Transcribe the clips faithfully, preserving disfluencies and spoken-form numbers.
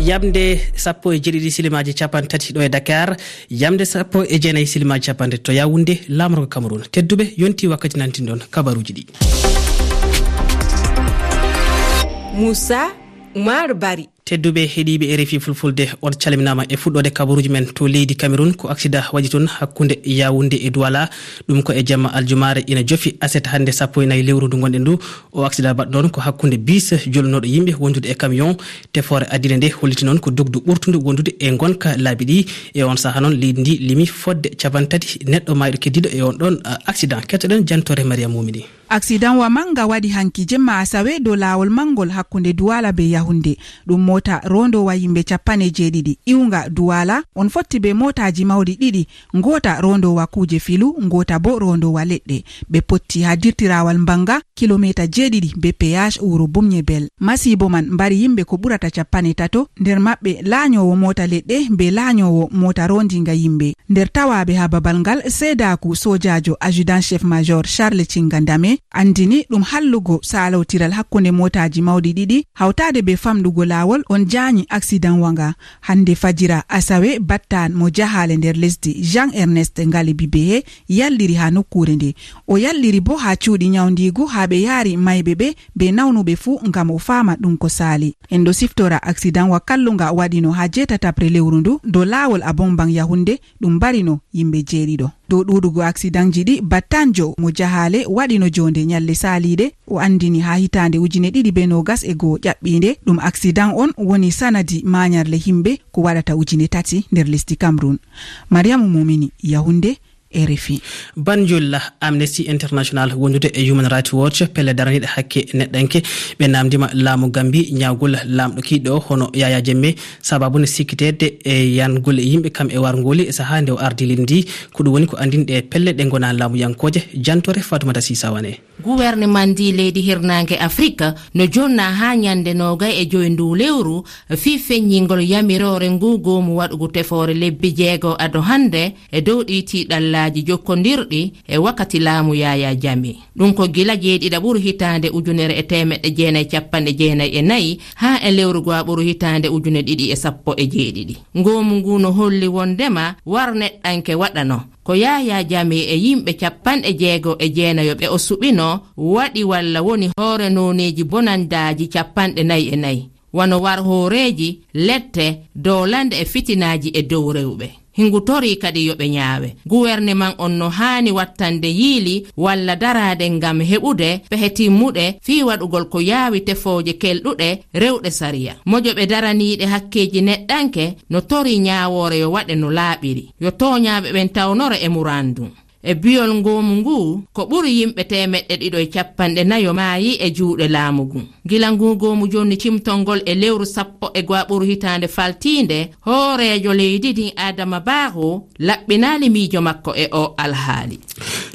Yamde sappo e jeeɗiɗi silimaaji capanɗe tati ɗo e Dakar, yamde sappo e jeenayi silimaaji capanɗe to Yaoundé, laamorgo Cameroun. Tedduɓe, yonti wakkati nantinɗon kabaruuji ɗi. Moussa Oumar Bari. Tedduɓe heɗiiɓe R F I Fulfulde, on calminaama e fuɗɗoode kabaruuji men to leydi Cameroun. Ko aksida waɗi toon hakkunde Yaoundé e Douala. Ɗum ko e jamma aljumaare ina jofi aset hannde sappo e nayi lewru ndu ngonɗen ndu. O aksida baɗɗo noon ko hakkunde bis jolnooɗo yimɓe wondude e camion. Tefoore addinde nde holliti noon ko dogdu ɓurtundu wondude e ngonka laabi ɗi. E on sahaa noon leydi ndi limi fodde capanɗe tati neɗɗo maayɗo keddiiɗo e on ɗon, a, accident. Kettoɗen jantoore Mariam Mumini. Accident wa mannga waɗi hanki jemma asawe dow laawol manngol hakkunde Duwala be Yahunde. Ɗum moota roondoowa yimɓe capanɗe jeeɗiɗi. Iwnga Duwala, on fotti be mootaaji mawɗi ɗiɗi. Ngoota roondoowa kuuje filu, ngoota bo roondoowa leɗɗe. Ɓe potti haa dirtirawal Mbanga, kilomeeta jeeɗiɗi be peage wuro Bumñebel. Masiibo man mbari yimɓe ko ɓurata capanɗe tato, nder maɓɓe laanyoowo moota leɗɗe be laanyoowo moota roondiinga yimɓe. Nder tawaaɓe haa babal ngal, seedaaku soojaajo adjudant chef major Charles Cinga Ndame anndini ɗum hallugo saalawtiral hakkunde mootaaji mawɗi ɗiɗi, hawtaade be famɗugo laawol on jaanyi accident wa nga. Hannde fajira asawe, battaan mo jahaale nder lesdi Jean Ernest Ngalibi Behe yalliri haa nokkuure nde. O yalliri bo haa cuuɗi nyawndiigu haa ɓe yaari mayɓe ɓe be nawnuɓe fuu ngam o faama ɗum ko saali. En ɗo siftora accident wa kallunga waɗino haa jeetataɓre lewru ndu dow laawol Abomban Yahunde, ɗum mbarino yimɓe jeeɗiɗo. Dow ɗuuɗugo accidentji ɗi, battanjo mo jahaale waɗino joonde nyalɗe saaliiɗe, o anndini haa hitaande ujine ɗiɗi be noogas e go'o ƴaɓɓiinde. Ɗum accident on woni sanadi maanyarle yimɓe ko waɗata ujine tati nder lesdi Cameroun. Mariama Mumini, Yahunde, R F I. Banjul, Amnesty International wondude e Human Rights Watch, pelle daraniiɗe hakke neɗɗanke, ɓe naamndiima laamu Gambi ñaawgol laamɗo kiiɗo hono Yaya Jammeh, sababu ne sikkiteede e yangol yimɓe kam e warngooli e sahaa nde o ardi leydi ndi. Ko ɗum woni ko anndini ɗe pelle ɗe ngonaa laamuyankooje. Jantoore Fatoumata Sy Sawane. Guwerneman ndi leydi hirnaange Afrik no jonna haa ñande noogay e joy ndu lewru fii feññingol yamiroore ngu goomu waɗugo tefoore lebbi jeego ado hannde e dow ɗii tiiɗallaaji jokkondirɗi e wakkati laamu Yaya Jammeh. Ɗum ko gila jeeɗiɗaɓuru hitaande ujunere e teemeɗɗe jeenayi capanɗe jeenayi e nayi haa e lewru go'aɓuru hitaande ujune ɗiɗi e sappo e jeeɗiɗi. Ngoomu ngu no holli wondema war neɗɗanke waɗano ko Yaya Jammeh e yimɓe capanɗe jeego e jeenayo ɓe o suɓino waɗi walla woni hoore nooneeji bonandaaji capanɗe nayi e nayi, wano war hooreeji, lette, doolande e fitinaaji e dow rewɓe. Hingu torii kadi yo ɓe ñaawe. Guwerneman on no haani wattande yiili walla daraade ngam heɓude pehe timmuɗe fii waɗugol ko yaawi tefooje kelɗuɗe rewɗe sariya. Mojoɓe daraniiɗe hakkeeji neɗɗanke no torii ñaawoore yo waɗe no laaɓiri. Yo tooñaaɓe ɓen tawnore e murandum. E biyol ngoomu ngu, ko ɓuri yimɓe teemeɗɗe ɗiɗo e capanɗe nayo maayi e juuɗe laamu ngu. Gila ngu ngoomu jonni cimtol ngol e lewru sappo e go'aɓuru hitaande faltiinde, hooreejo leydi ndin Adama Barrow laɓɓinaali miijo makko e o alhaali.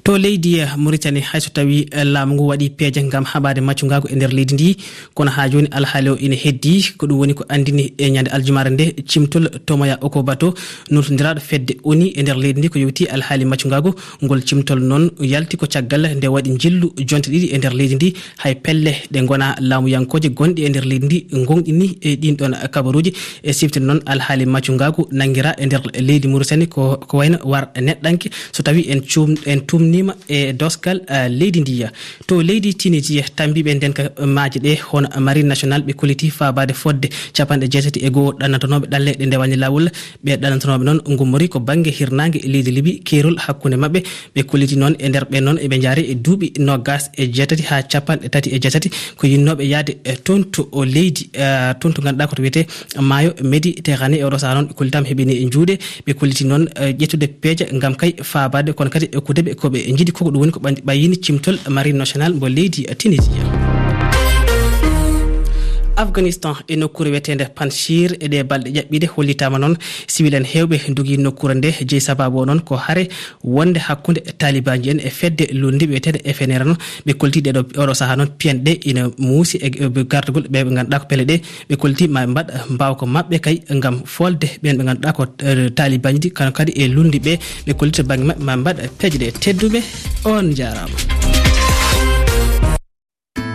To leydi, eh, Mauritanie, hay so tawi, eh, laamu ngu waɗi peeje ngam haɓaade maccungaagu e nder leydi ndi, kono haa jooni alhaali o ina heddi. Ko ɗum woni ko anndini e ñande aljumaare nde cimtol Tomoya Okobato, nultondiraaɗo fedde ONU e nder leydi ndi ko yowti alhaali maccungaagu. Ngol cimtol noon yalti ko caggal nde waɗi njillu jonte ɗiɗi e nder leydi ndi, hay pelle ɗe ngonaa laamuyankooje gonɗe e nder leydi ndi ngonɗini e ɗin ɗon kabaruuji. E siftude noon alhaali maccungaagu nanngiraa e nder leydi Mauritanie ko, ko wayno war neɗɗanke so tawi en cuum-, en tumniima e dosgal, eh, leydi ndi. To leydi Tunisie, tammbiiɓe ndenka maaje ɗe hono Marine Nationale ɓe kolliti faabaade fodde capanɗe jeetati e go'o ɗannotonooɓe ɗalle ɗe ndewaani laawol. Ɓe ɗannotonooɓe noon ngummori ko bannge hirnaange leydi Libi, keerol hakkunde maɓɓe. Ɓe kolliti noon e nder ɓe noon eɓe njaari e duuɓi noogas e jeetati haa capanɗe tati e jeetati ko yinnooɓe yahde, eh, toon to o leydi, eh, toon to ngannduɗaa ko to wiyetee maayo Méditerranée. E oɗo sahaa noon ɓe kollitaama heɓini e juuɗe. Ɓe kolliti noon, eh, ƴettude peeje ngam kay faabaade, kono kadi e kudeɓe ko ɓe njiɗi ko ko ɗum woni ko ɓan-, ɓayyini cimtol Marine Nationale mbo leydi Tunisie. Afghanistan, e nokkuure wiyeteende Panjshir, e ɗee balɗe ƴaɓɓiiɗe hollitaama noon siwil en heewɓe ndogi nokkuure nde. Jeyi sabaabu o noon ko hare wonde hakkunde taalibanji en e fedde luulnde wiyeteende F N R noon. Ɓe kolliti ɗeɗo, oɗo sahaa noon piyanɗe ina muusi e, e gardagol ɓe ɓe ngannduɗaa ko pele ɗe. Ɓe kolliti ma ɓe mbaɗ mbaawka maɓɓe kay ngam folde ɓeen ɓe ngannduɗaa ko, eh, taalibanji ɗi, kono kadi e luulnde ɓe. Ɓe kolliti bannge maɓɓe ma ɓe mbaɗ peeje ɗe. Tedduɓe, on njaaraama.